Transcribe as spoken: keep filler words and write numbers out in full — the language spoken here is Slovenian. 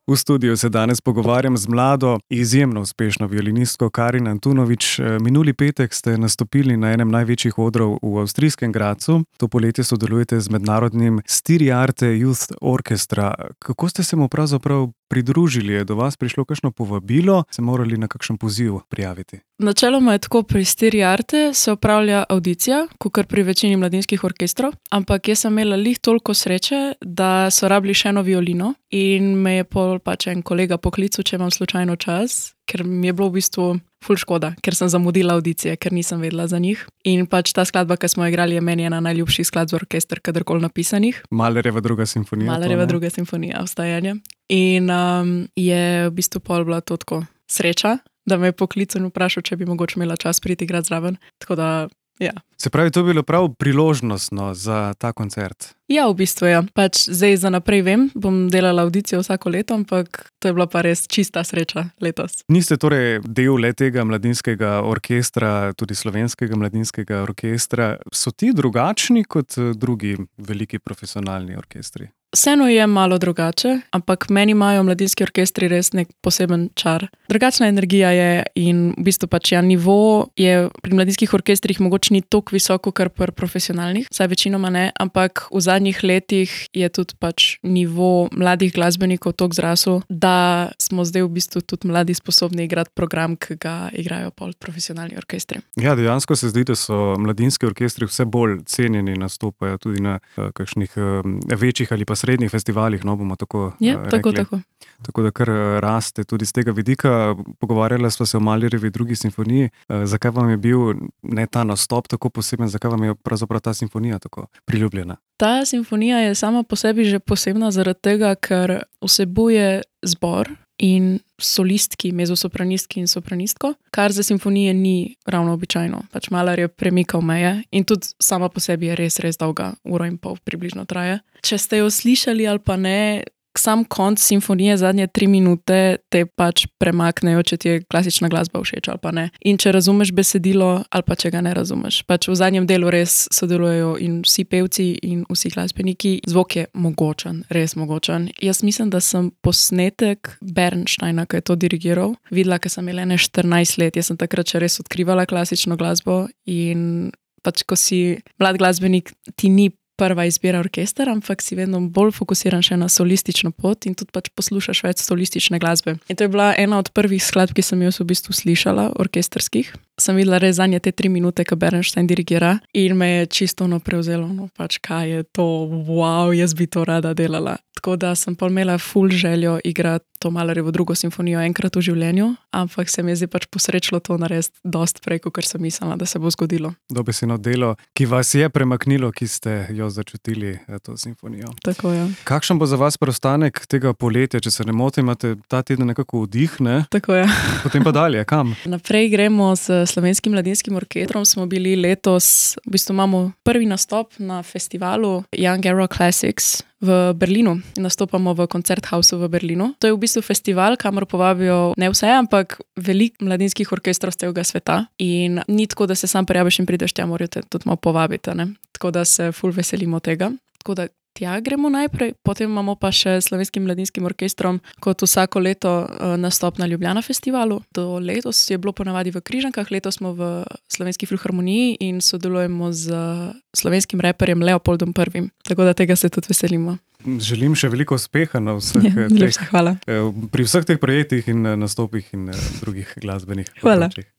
V studiu se danes pogovarjam z mlado, izjemno uspešno violinistko Karin Antunović. Minuli petek ste nastopili na enem največjih odrov v avstrijskem Gradcu. To poletje sodelujete z mednarodnim Styriarte Youth Orchestra. Kako ste se mu pravzaprav pridružili? Je do vas prišlo kakšno povabilo? Se morali na kakšen poziv prijaviti? Načeloma je tako, pri Styriarte se opravlja avdicija, kakor pri večini mladinskih orkestrov, ampak jaz sem imela lih toliko sreče, da so rabili še eno violino in me je pol pač en kolega poklical, če imam slučajno čas, ker mi je bilo v bistvu ful škoda, ker sem zamudila avdicije, ker nisem vedela za njih. In pač ta skladba, ki smo igrali, je meni ena najljubših skladb za orkester, kadarkoli napisanih. Mahlerjeva druga simfonija. Mahlerjeva druga simfonija, Vstajanje. In um, je v bistvu pol bila to tako sreča, da me je poklical in vprašal, če bi mogoče imela čas priti igrati zraven. Tako da, ja. Se pravi, to je bilo prav priložnostno za ta koncert? Ja, v bistvu ja. Pač zdaj za naprej vem, bom delala avdicijo vsako leto, ampak to je bila pa res čista sreča letos. Niste torej del le tega mladinskega orkestra, tudi slovenskega mladinskega orkestra. So ti drugačni kot drugi veliki profesionalni orkestri? Vseeno je malo drugače, ampak meni imajo mladinski orkestri res nek poseben čar. Drugačna energija je in v bistvu pač ja, nivo je pri mladinskih orkestrih mogoče ni toliko visoko, kar pri profesionalnih, saj večinoma ne, ampak v zadnjih letih je tudi pač nivo mladih glasbenikov toliko zrasel, da smo zdaj v bistvu tudi mladi sposobni igrati program, ki ga igrajo pol profesionalni orkestri. Ja, dejansko se zdi, da so mladinski orkestri vse bolj cenjeni, nastopajo tudi na uh, kakšnih uh, večjih ali pa srednjih festivalih, no bomo tako ja, uh, tako, rekli. tako. Tako da kar raste tudi z tega vidika. Pogovarjala sva se o Mahlerjevi drugi simfoniji. Uh, zakaj vam je bil ne ta nastop tako poseben, zakaj vam je pravzaprav ta simfonija tako priljubljena? Ta simfonija je sama po sebi že posebna zaradi tega, ker vsebuje zbor in solistki, mezosopranistki in sopranistko, kar za simfonije ni ravno običajno. Pač Mahler je premikal meje in tudi sama po sebi je res, res dolga, uro in pol približno traje. Če ste jo slišali ali pa ne, sam konc simfonije, zadnje tri minute te pač premaknejo, če ti je klasična glasba všeč ali pa ne. In če razumeš besedilo ali pa če ga ne razumeš. Pač v zadnjem delu res sodelujejo in vsi pevci in vsi glasbeniki. Zvok je mogočen, res mogočen. Jaz mislim, da sem posnetek Bernsteina, ki je to dirigiral, videla, ker sem imela ene štirinajst let. Jaz sem takrat še res odkrivala klasično glasbo in pač ko si mlad glasbenik, ti ni prva izbira orkester, ampak si vedno bolj fokusiran še na solistično pot in tudi pač poslušaš več solistične glasbe. In to je bila ena od prvih skladb, ki sem jo v bistvu slišala, orkesterskih. Sem videla res zadnje te tri minute, ko Bernstein dirigira in me je čisto ono prevzelo, no pač kaj je to, wow, jaz bi to rada delala. Tako da sem pa imela ful željo igrati to Mahlerjevo drugo simfonijo enkrat v življenju, ampak se mi je zdaj pač posrečilo to narediti dosti prej, kot sem mislila, da se bo zgodilo. Dobesedno delo, ki vas je premaknilo, ki ste jo začutili, to simfonijo. Tako je. Ja. Kakšen bo za vas preostanek tega poletja, če se ne motim, imate ta teden nekako vdih, ne? Tako je. Ja. Potem pa dalje, kam? Naprej gremo s Slovenskim mladinskim orkestrom, smo bili letos, v bistvu imamo prvi nastop na festivalu Young Era Classics v Berlinu. Nastopamo v Koncerthausu v Berlinu. To je v bistvu festival, kamor povabijo ne vse, ampak veliko mladinskih orkestrov z celega sveta. In ni tako, da se sam prijaviš in prideš tja, morajo te tudi malo povabiti, ne? Tako da se ful veselimo tega. Tako da tja gremo najprej, potem imamo pa še Slovenskim mladinskim orkestrom kot vsako leto nastop na Ljubljana festivalu. Do letos je bilo ponavadi v Križankah, letos smo v Slovenski filharmoniji in sodelujemo z slovenskim reperjem Leopoldom prvim. Tako da tega se tudi veselimo. Želim še veliko uspeha na vseh ja, teh, hvala. pri vseh teh projektih in nastopih in drugih glasbenih Hvala. področjih.